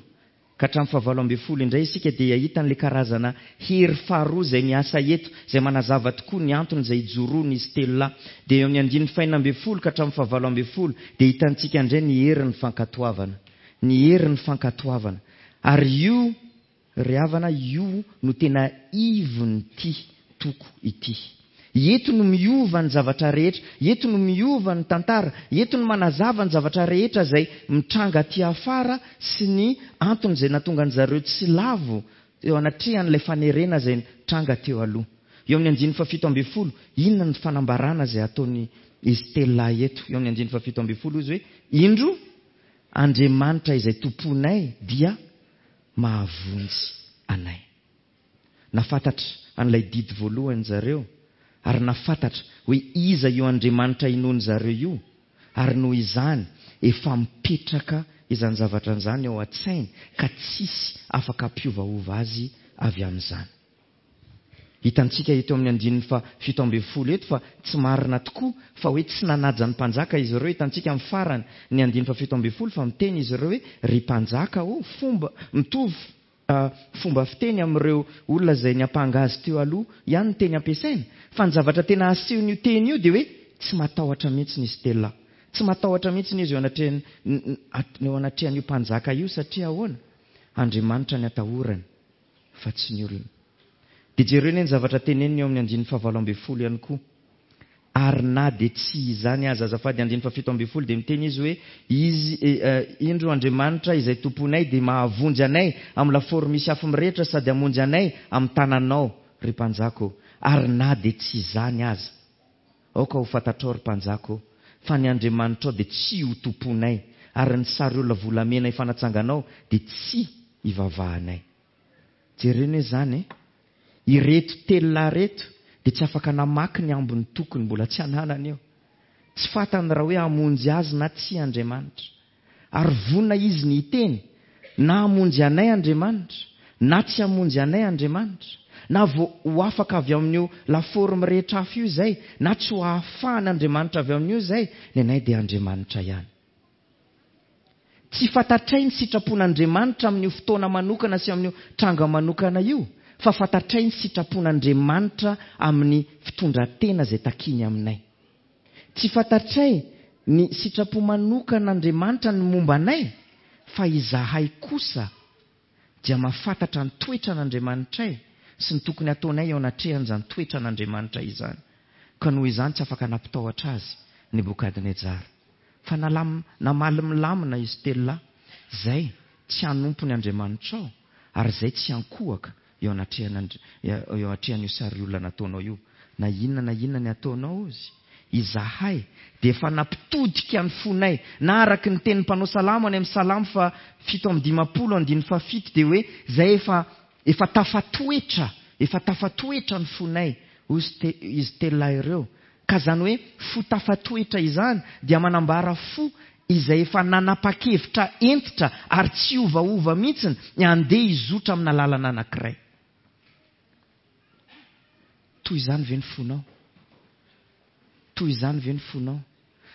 Speaker 1: Ka hatramin'ny fahavalo ambin'ny folo indray isika dia hahita an'ilay karazana hery faharoa izay miasa eto, izay manazava tokoa ny antony izay ijoroan'izy telo lahy. Dia eo amin'ny andininy fahenina ambin'ny folo ka hatramin'ny fahavalo ambin'ny folo dia hitantsika indray ny herin'ny fankatoavana. Ny herin'ny fankatoavana. Ary io, ry havana, io no tena ivon'ity toko ity. Eto no miova ny zavatra rehetra, eto no miova ny tantara, eto no manazava ny zavatra rehetra izay mitranga aty afara sy ny antony izay nahatonga an-dry zareo tsy lavo eo anatrehan'ilay fanerena izay nitranga teo aloha. Eo amin'ny andininy fahafito ambin'ny folo, inona ny fanambarana izay ataony izy telo lahy eto? Eo amin'ny andininy fahafito ambin'ny folo izy hoe, indro, Andriamanitra izay tomponay dia mahavonjy anay. Nahafantatra an'ilay didy voalohany zareo, ary nahafantatra hoe iza io Andriamanitra inoan-dry zareo io, ary noho izany efa mipetraka izany zavatra izany ao an-tsainy ka tsisy afaka hampiovaova azy avy amin'izany. Hitantsika eto amin'ny andininy faha fito ambin'ny folo eto fa tsy marina tokoa fa hoe tsy nanaja ny mpanjaka izy ireo. Hitantsika amin'ny farany ny andininy faha fito ambin'ny folo fa miteny izy ireo hoe ry mpanjaka ô, fomba mitovy fomba fiteny amin'ireo olona izay niampanga azy teo aloha ihany ny teny ampiasaina. Fa ny zavatra tena asehon'io teny io dia hoe tsy matahotra mihitsy izy telo lahy. Tsy matahotra mihitsy izy eo anatrehan-, eo anatrehan'io mpanjaka io satria ahoana? Andriamanitra ny atahorany fa tsy ny olona. Dia jereo anie ny zavatra teneniny eo amin'ny andininy fahavalo ambin'ny folo ihany koa. Ary na dia tsy izany aza, azafady, andininy fahafito ambin'ny folo dia miteny izy hoe, Izy, indro Andriamanitra izay Tomponay dia mahavonjy anay amin'ny lafaoro misy afo mirehitra sady hamonjy anay amin'ny tananao, ry mpanjaka ô. Ary na dia tsy izany aza, aoka ho fantatrao, ry mpanjaka ô, fa ny Andriamanitrao dia tsy ho tomponay, ary ny sary olona volamena efa natsanganao dia tsy hivavahanay. Jereo anie izany e! Ireto telo lahy ireto dia tsy afaka namaky ny ambin'ny tokony mbola tsy ananany io. Tsy fantany raha hoe hamonjy azy na tsia Andriamanitra. Ary vonona izy ny hiteny, na hamonjy anay Andriamanitra, na tsy hamonjy anay Andriamanitra. Na vao ho afaka avy amin'io lafaoro mirehitra afo io izay, na tsy ho ahafahan' Andriamanitra avy amin'io izay, ny anay dia Andriamanitra ihany. Tsy fantatray ny sitrapon'Andriamanitra amin'io fotoana manokana sy amin'io tranga manokana io, fa fantatray ny sitrapon'Andriamanitra amin'ny fitondran-tena izay takiany aminay. Tsy fantatray ny sitrapo manokan'Andriamanitra ny momba anay, fa izahay kosa dia mahafantatra ny toetran'Andriamanitray sy ny tokony hataonay eo anatrehan'izany toetran'Andriamanitra izany. Ka noho izany tsy afaka nampitahotra azy Nebokadnetsara. Fa nalam-, namaly milamina izy telo lahy, Izay tsy hanompo ny Andriamanitrao, ary izay tsy hiankohoka eo anatrehan'Andri-, eo anatrehan'io sariolona nataonao io, na inona na inona ny ataonao, hozy izahay dia efa nampitodika ny fonay, na araka ny tenin'ny mpanao salamo any amin'ny Salamo faha fito amby dimampolo andininy faha fito dia hoe izay efa, efa tafatoetra, efa tafatoetra ny fonay, hozy te-, izy telo lahy ireo. Ka izany hoe fo tafatoetra izany dia manambara fo izay efa nanapa-kevitra hentitra ary tsy hiovaova mihitsy ny handeha hizotra amina lalana anankiray. Toy izany ve ny fonao? Toy izany ve ny fonao?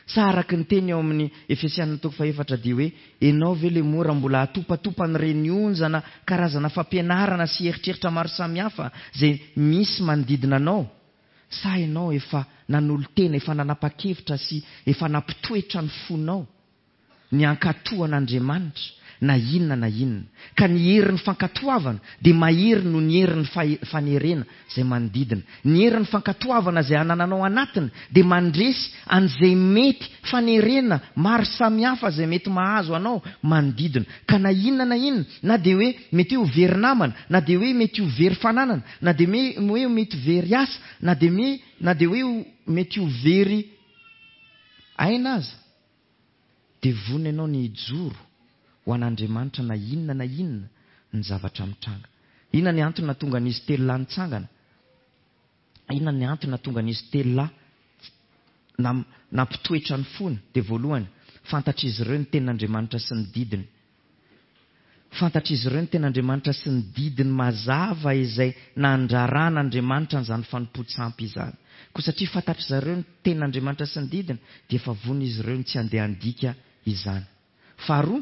Speaker 1: Sa araka ny teny ao amin'ny Efesiana toko fahefatra dia hoe ianao ve ilay mora mbola atopatopan'ireny onjana karazana fampianarana sy eritreritra maro samihafa izay misy manodidina anao? Sa ianao efa nanolo-tena, efa nanapa-kevitra sy efa nampitoetra ny fonao ny hankatò an'Andriamanitra na inona na inona? Ka ny herin'ny fankatoavana dia mahery noho ny herin'ny fanerena izay manodidina. Ny herin'ny fankatoavana izay anananao anatiny dia mandresy an'izay mety fanerena maro samihafa izay mety mahazo anao manodidina. Ka na inona na inona, na dia hoe mety hoe ho very namana, na dia hoe mety ho very fananana, na dia hoe mety very asa, na dia me-, na dia hoe mety ho very aina aza, dia vonona ianao ny hijoro ho an'Andriamanitra na inona na inona ny zavatra mitranga. Inona ny antony nahatonga an'izy telo lahy nitsangana? Inona ny antony nahatonga an'izy telo lahy nam-, nampitoetra ny fony? Dia voalohany, fantatr'izy ireo ny tenin'Andriamanitra sy ny didiny. Fantatr'izy ireo ny tenin'Andriamanitra sy ny didiny mazava izay nandraran'Andriamanitra an'izany fanompoan-tsampy izany. Koa satria fantatr'izy ireo ny tenin'Andriamanitra sy ny didiny, dia efa vonona izy ireo ny tsy handeha handika izany. Faharoa,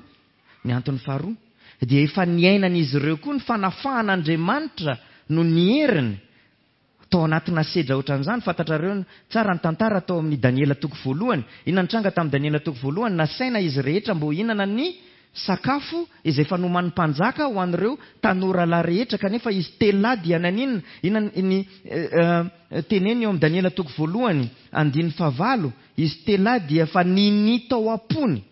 Speaker 1: ny antony faharoa, dia efa niainan'izy ireo koa ny fanafahan'Andriamanitra no ny heriny tao anatina sedra ohatran'izany. Fantatrareo tsara ny tantara tao amin'ny Daniela toko voalohany. Inona nitranga tamin'ny Daniela toko voalohany? Nasaina izy rehetra mba hihinana ny sakafo izay efa nomanin'ny mpanjaka ho an'ireo tanora lahy rehetra, kanefa izy telo lahy dia naninona? Inona ny teneny eo amin'ny Daniela toko voalohany andininy fahavalo? Izy telo lahy dia efa ninia tao am-pony.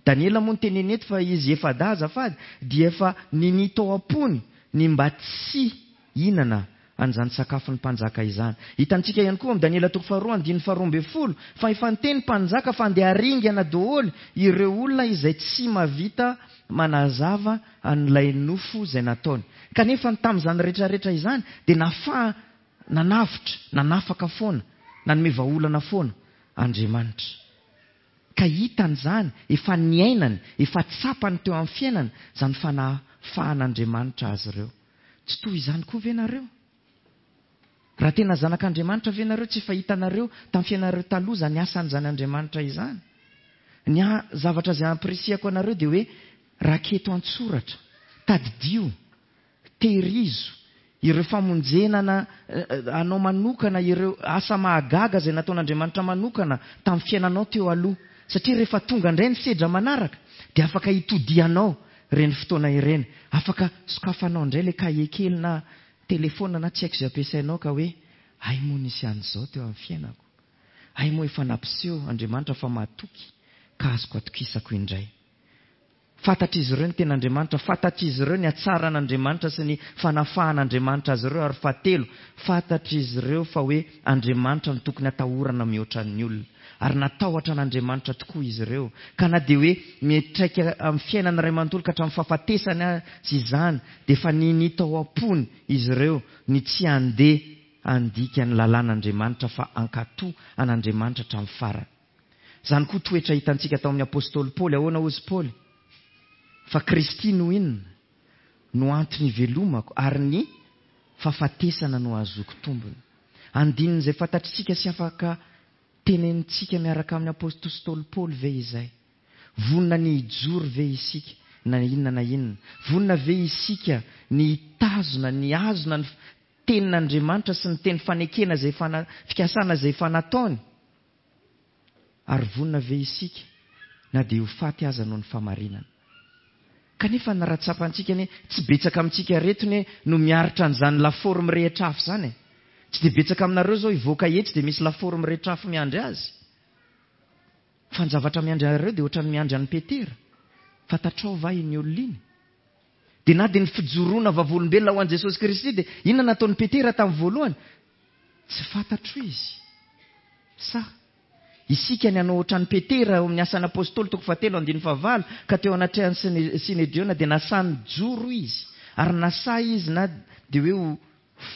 Speaker 1: Daniela moa ny teneny eto fa izy efa-dahy azafady dia efa ninia tao am-pony ny mba tsy hihinana an'izany sakafon'ny mpanjaka izany. Hitantsika ihany koa amin'ny Daniela toko faharoa andininy faharoa ambin'ny folo fa efa niteny mpanjaka fa andeha haringana daholo ireo olona izay tsy mahavita manazava an'ilay nofo izay nataony. Kanefa ny tamin'izany rehetrarehetra izany dia nafaha nanavotra, nanafaka foana, nanome vahaolana foana Andriamanitra. Ka hitany izany, efa niainany, efa tsapany teo amin'ny fiainana izany fanafahan'Andriamanitra azy ireo. Tsy toy izany koa ve nareo? Raha tena zanak'Andriamanitra ve nareo, tsy efa hitanareo tamin'ny fiainanareo taloha izany asan'izany Andriamanitra izany? Ny zavatra izay ampirisihako anareo dia hoe raketo an-tsoratra, tadidio, tehirizo ireo famonjena anao manokana, ireo asa mahagaga izay nataon'Andriamanitra manokana tamin'ny fiainanao teo aloha. Satria rehefa tonga indray ny sedra manaraka dia afaka hitodianao ireny fotoana ireny. Afaka sokafanao indray ilay kahie kely na telefona na tsy haiko izay ampiasainao ka hoe ay moa nisy an'izao teo amin'ny fiainako. Ay moa efa nampiseho Andriamanitra fa mahatoky ka azoko atokisako indray. Fantatr'izy ireo ny ten'Andriamanitra, fantatr'izy ireo ny hatsaran'Andriamanitra sy ny fanafahan'Andriamanitra azy ireo, ary fahatelo, fantatr'izy ireo fa hoe Andriamanitra no tokony atahorana mihoatra ny olona. Ary natahotra an'Andriamanitra tokoa izy ireo. Ka na dia hoe miantraika amin'ny fiainana iray manontolo ka hatramin'ny fahafatesany azy izany, dia efa ninia tao am-pony izy ireo ny tsy handeha handika ny lalàn'Andriamanitra fa hankatò an'Andriamanitra hatramin'ny farany. Izany koa toetra hitantsika tao amin'ny Apostoly Paoly. Ahoana hozy Paoly? Fa Kristy no inona? No antony ivelomako ary ny fahafatesana no ahazoako tombony. Andininy izay fantatritsika sy afaka tenenintsika miaraka amin'ny Apostoly Paoly ve izay? Vonona ny hijoro ve isika na inona na inona? Vonona ve isika ny hitazona, ny hazona ny tenin'Andriamanitra sy ny teny fanekena izay efa fikasana izay efa nataony? Ary vonona ve isika na dia ho faty aza noho ny famarinana? Kanefa ny raha tsapantsika anie, tsy betsaka amintsika reto anie no miaritra an'izany lafaoro mirehitra afo izany e. Tsy dia betsaka aminareo izao hivoaka etsy dia misy lafaoro mirehitra afo miandry azy. Fa ny zavatra miandry anareo dia ohatran'ny miandry an'i Petera. Fantatrao va iny olona iny? Dia na dia ny fijoroana vavolombelona ho an'i Jesosy Kristy dia inona nataon'i Petera tamin'ny voalohany? Tsy fantatro izy. Sa isika ny hanao ohatran'i Petera ao amin'ny asan'ny Apostoly toko fahatelo andininy fahavalo ka teo anatrehan'ny Synedriona dia nasahy nijoro izy ary nasahy izy na dia hoe ho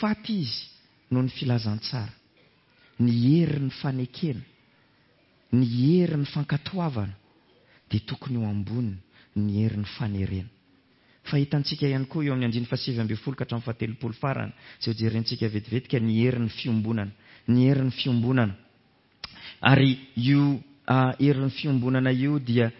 Speaker 1: faty izy noho ny filazantsara. Ny herin'ny fanekena, ny herin'ny fankatoavana dia tokony ho ambony ny herin'ny fanerena. Fa hitantsika ihany koa eo amin'ny andininy fahasivy ambin'ny folo ka hatramin'ny fahatelopolo farany izay hojerentsika vetivetika ny herin'ny fiombonana, ny herin'ny fiombonana. Ary io herin'ny fiombonana io dia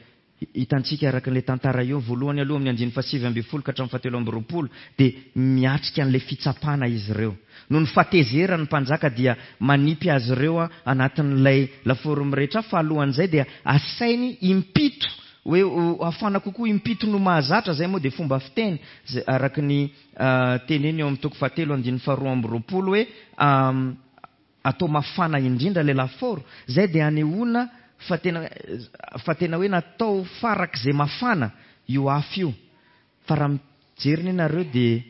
Speaker 1: hitantsika araka ilay tantara io voalohany aloha amin'ny andininy fahasivy ambin'ny folo ka hatramin'ny fahatelo amby roapolo dia miatrika an'ilay fitsapana izy ireo. Noho ny fahatezerany ny mpanjaka dia manipy azy ireo anatin'ilay lafaoro mirehitra afo, fa alohan'izay dia asainy impito hoe hafana kokoa impito no mahazatra. Izay moa dia fomba fiteny araka ny teneny eo amin'ny toko fahatelo andininy faharoa amby roapolo hoe atao mafana indrindra ilay lafaoro. Izay dia anehoana fa tena, fa tena hoe natao farak'izay mafana io afo io. Fa raha mijery ny nareo dia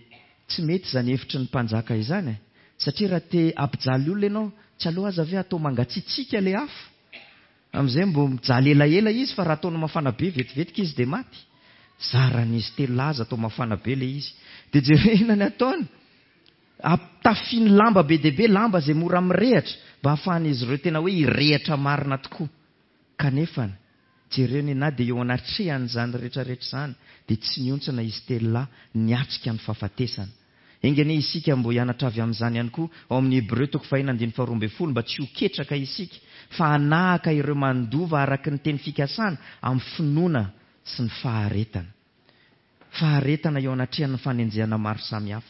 Speaker 1: tsy mety izany hevitry ny mpanjaka izany e. Satria raha te hampijaly olona ianao, tsy aloha aza ve atao mangatsiatsiaka ilay afo? Amin'izay mbo mijaly elaela izy, fa raha ataonao mafana be vetivetika izy dia maty. Zaran'izy telo laza atao mafana be ilay izy. Dia jerena ny ataony. Ampitafiny lamba be dia be, lamba izay mora mirehatra, mba hahafahan'izy ireo tena hoe hirehatra marina tokoa. Kanefa, jereo ny na dia eo anatrehan'izany rehetrarehetra izany, dia tsy nihontsina izy telo lahy niatrika ny fahafatesana. Enga anie isika mbo hianatra avy amin'izany ihany koa ao amin'ny Hebreo toko fahina andininy faharoa ambin'ny folo, mba tsy ho ketraka isika, fa hanahaka ireo mandova araka ny teny fikasana amin'ny finoana sy ny faharetana. faharetana eo anatrehan'ny fanenjehana maro samihafa.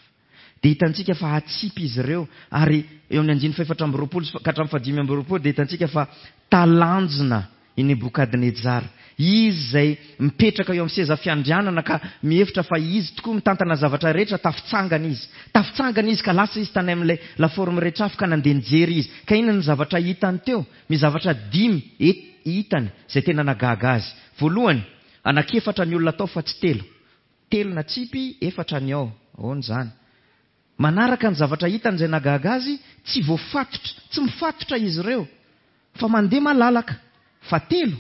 Speaker 1: Dia hitantsika fa hatsipy izy ireo, ary eo amin'ny andininy fahefatra amby roapolo ka hatramin'ny fahadimy amby roapolo dia hitantsika fa talanjona i Nebokadnezara. Izy izay mipetraka eo amin'ny seza fiandrianana ka mihevitra fa izy tokoa mitantana zavatra rehetra, tafitsangana izy. Tafitsangana izy ka lasa izy tany amin'ilay lafaoro mirehitra afo ka nandeha nijery izy. Ka inona ny zavatra hitany teo? Misy zavatra dimy hitany izay tena nagaga azy. Voalohany, anankiefatra ny olona tao fa tsy telo. Telo natsipy, efatra ny ao. Ahoana izany? Manaraka ny zavatra hitany izay nagaga azy, tsy voafatotra, tsy mifatotra izy ireo, fa mandeha malalaka. Fa telo,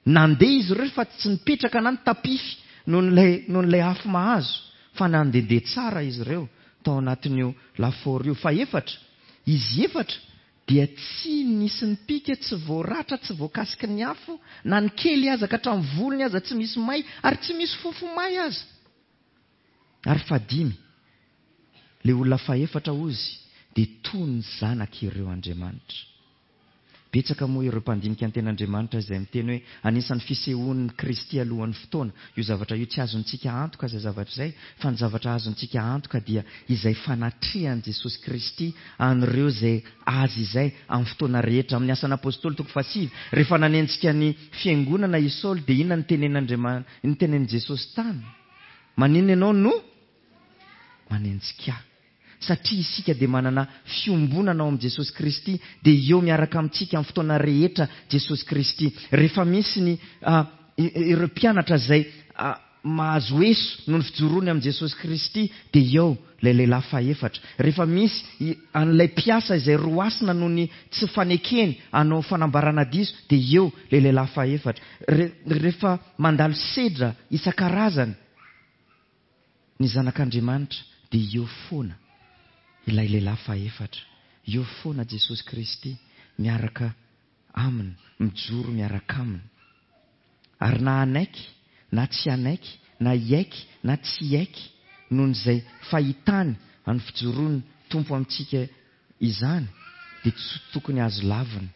Speaker 1: nandeha izy ireo fa tsy nipetraka na nitapify noho n'ilay, noho n'ilay afo mahazo, fa nandehandeha tsara izy ireo tao anatin'io lafaoro io. Fa efatra, izy efatra dia tsy nisy nipika, tsy voaratra, tsy voakasiky ny afo, na ny kely aza ka hatramin'ny volony aza tsy misy may, ary tsy misy fofo may aza. Ary fahadimy, ilay olona fahefatra ozy dia toy ny zanak'ireo Andriamanitra. Betsaka moa ireo mpandinika ny ten'Andriamanitra izay miteny hoe anisan'ny fisehoan'ny Kristy alohan'ny fotoana. Io zavatra io tsy azontsika antoka izay zavatra izay, fa ny zavatra azontsika antoka dia izay fanatrehan'i Jesosy Kristy an'ireo izay azy izay amin'ny fotoana rehetra. Amin'ny asan'ny apôstôly toko fahasivy, rehefa nanenjika ny fiangonana i Saoly dia inona ny tenen'Andriamanitra, ny tenenin'i Jesosy tany? Maninona ianao no manenjika ahy? Satria isika dia manana fiombonana ao amin'i Jesosy Kristy, dia eo miaraka amintsika amin'ny fotoana rehetra Jesosy Kristy. Rehefa misy ny, ah, ireo mpianatra izay, ah, mahazo eso noho ny fijoroany amin'i Jesosy Kristy, dia eo ilay lehilahy fahefatra. Rehefa misy an'ilay mpiasa izay roasina noho ny tsy fanekeny hanao fanambarana diso, dia eo ilay lehilahy fahefatra. Re-, rehefa mandalo sedra isan-karazany ny zanak'Andriamanitra, dia eo foana ilay lehilahy fahefatra. Eo foana Jesosy Kristy miaraka aminy, mijoro miaraka aminy. Ary na hanaiky, na tsy hanaiky, na hiaiky, na tsy hiaiky, noho izay fahitany amin'ny fijoroan'ny Tompo amintsika izany, dia tsy tokony azo lavina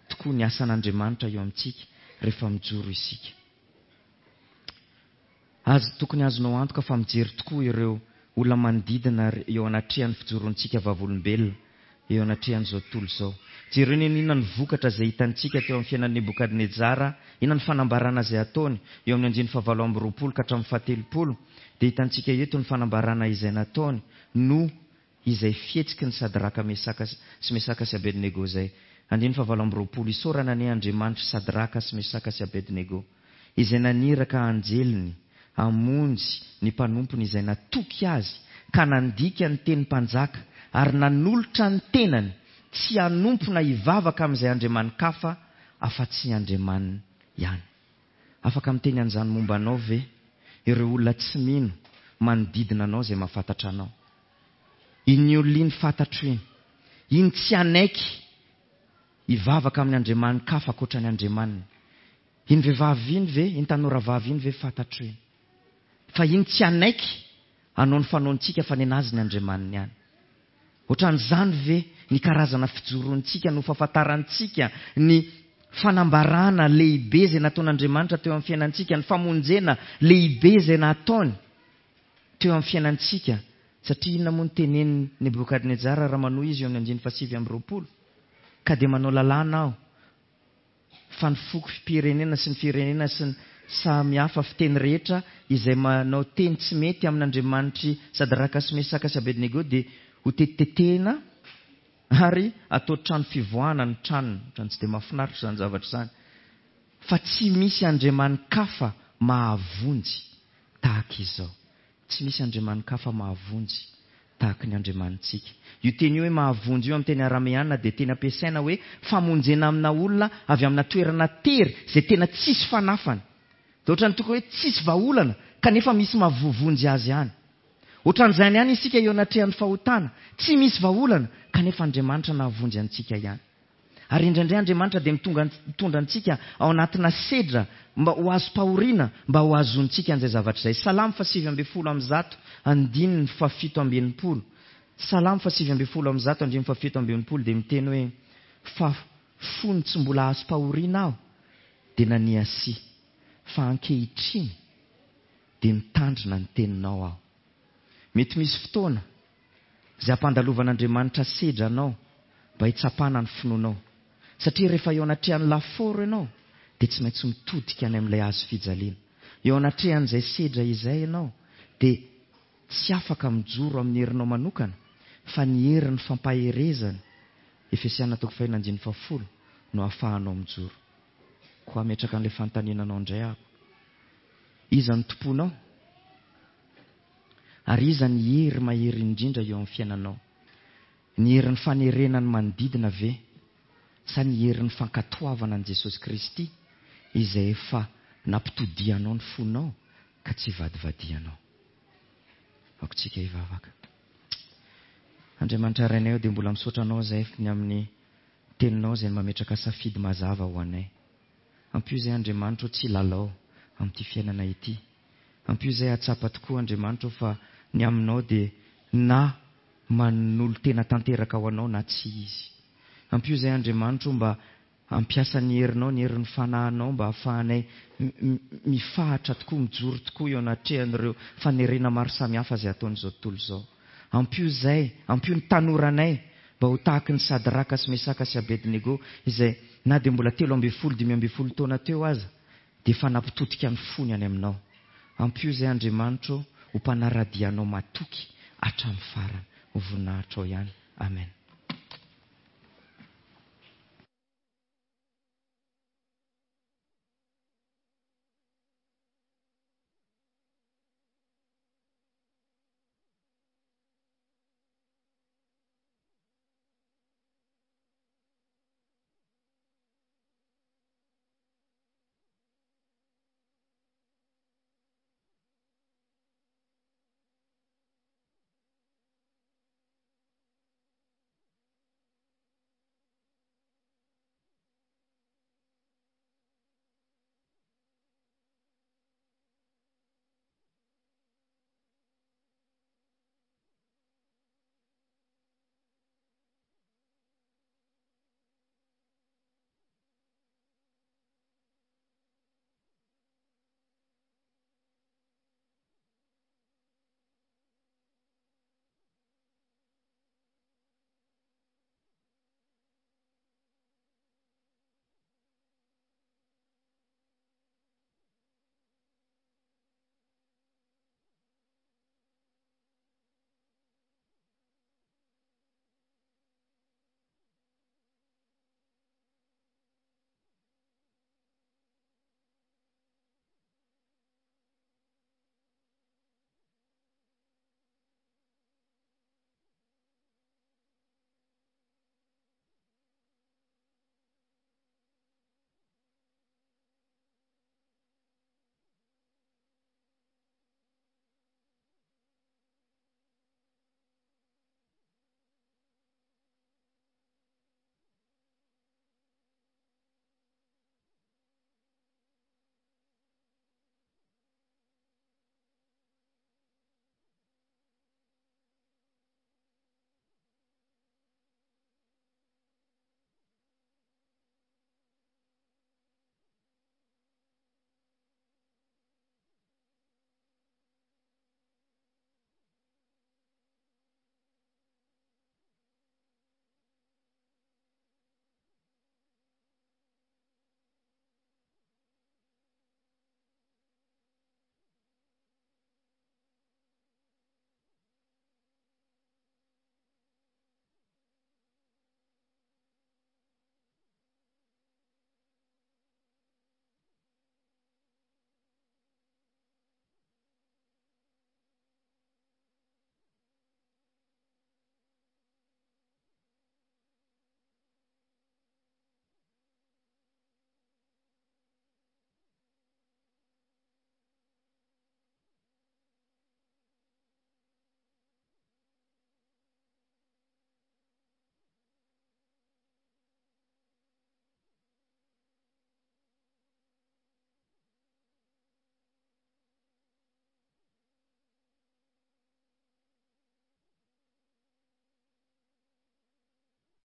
Speaker 1: tokoa ny asan'Andriamanitra eo amintsika rehefa mijoro isika. Azo, tokony azonao antoka fa mijery tokoa ireo olona manodidina eo anatrehan'ny fijoroantsika vavolombelona eo anatrehan'izao tontolo izao. Jereo ny inona ny vokatra izay hitantsika teo amin'ny fiainan'i Nebokadnezara, inona ny fanambarana izay ataony eo amin'ny andininy fahavalo amby roapolo ka hatramin'ny fahatelopolo, dia hitantsika eto ny fanambarana izay nataony no izay fihetsiky ny Sadraka Mesaka sy Mesaka sy Abednego izay. Andininy fahavalo amby roapolo, isaorana anie Andriamanitra Sadraka sy Mesaka sy Abednego izay naniraka anjeliny hamonjy ny mpanompony izay natoky azy ka nandika ny teny mpanjaka ary nanolotra ny tenany tsy hanompo na hivavaka amin'izay andriamani-kafa afa-tsy Andriamaniny ihany. Afaka miteny an'izany momba anao ve ireo olona tsy mino manodidina anao izay mahafantatra anao? Iny olona iny fantatro iny. Iny tsy hanaiky hivavaka amin'ny andriamani-kafa ankoatra ny Andriamaniny. Iny vehivavy iny ve, iny tanora vavy iny ve fantatro iny? Fa iny tsy hanaiky hanao ny fanaontsika fa nenazy ny Andriamaniny ihany. Ohatran'izany ve ny karazana fijoroantsika no fahafantarantsika ny fanambarana lehibe izay nataon'Andriamanitra teo amin'ny fiainantsika, ny famonjena lehibe izay nataony teo amin'ny fiainantsika? Satria inona moa ny tenenin'i Nebokadnezara raha manohy izy eo amin'ny andininy fahasivy amby roapolo? Ka dia manao lalàna aho fa ny foko firenena sy ny firenena sy ny samy hafa fiteny rehetra izay manao teny tsy mety amin'Andriamanitry Sadraka sy Mesaka sy Abednego dia ho tetitetehina ary atao trano fivoahana ny tranony. Ohatran'ny tsy dia mahafinaritra izany zavatra izany. Fa tsy misy andriamani-kafa mahavonjy tahaka izao. Tsy misy andriamani-kafa mahavonjy tahaka ny Andriamanitsika. Io teny io hoe mahavonjy io amin'ny teny arameana dia teny ampiasaina hoe famonjena amina olona avy amina toerana tery izay tena tsisy fanafana. Dia ohatran'ny tokony hoe tsisy vahaolana kanefa misy mahavonjy azy ihany. Ohatran'izany ihany isika eo anatrehan'ny fahotana, tsy misy vahaolana kanefa Andriamanitra nahavonjy antsika ihany. Ary indraindray Andriamanitra dia mitonga, mitondra antsika ao anatina sedra mba ho azom-pahoriana, mba ho azontsika an'izay zavatra izay. Salamo fahasivy ambin'ny folo amby zato, andininy fahafito amby enimpolo. Salamo fahasivy ambin'ny folo amby zato, andininy fahafito amby enimpolo dia miteny hoe fa fony tsy mbola azom-pahoriana aho dia naniasia, fa ankehitriny dia mitandrina ny teninao aho. Mety misy fotoana izay hampandalovan'Andriamanitra sedra anao mba hitsapana ny finoanao. Satria rehefa eo anatrehan'ny lafaoro ianao dia tsy maintsy mitodika any amin'ilay hazo fijaliana. Eo anatrehan'izay sedra izay ianao dia tsy afaka mijoro amin'ny herinao manokana fa ny herin'ny fampaherezana, Efesiana toko fahenina andininy fahafolo, no ahafahanao mijoro. Koa hametraka an'ilay fanontaniana anao indray aho. Iza no tomponao? Ary iza ny hery mahery indrindra eo amin'ny fiainanao? Ny herin'ny fanerena ny manodidina ve? Sa ny herin'ny fankatoavana an'i Jesosy Kristy izay efa nampitodihanao ny fonao ka tsy vadivadihanao? Aoka hivavaka. Andriamanitra Rainay dia mbola misaotra anao izay ny amin'ny teninao izay mametraka safidy mazava ho anay. Ampio izay Andriamanitra tsy lalao amin'ity fiainana ity. Ampio izay hahatsapa tokoa Andriamanitra fa ny aminao dia na manolo-tena tanteraka ho anao na tsy izy. Ampio izay Andriamanitra mba hampiasa ny herinao, ny herin'ny fanahinao mba hahafahanay mifahatra tokoa, mijoro tokoa eo anatrehan'ireo fanerena maro samihafa izay ataon'izao tontolo izao. Ampio izay, ampio ny tanoranay mba ho tahaky ny Sadraka sy Mesaka sy Abednego izay na dia mbola telo ambin'ny folo, dimy ambin'ny folo taona teo aza dia efa nampitodika ny fony any aminao. Ampio izay Andriamanitra ho mpanara-dia anao matoky hatramin'ny farany. Ho voninahitrao ihany. Amen.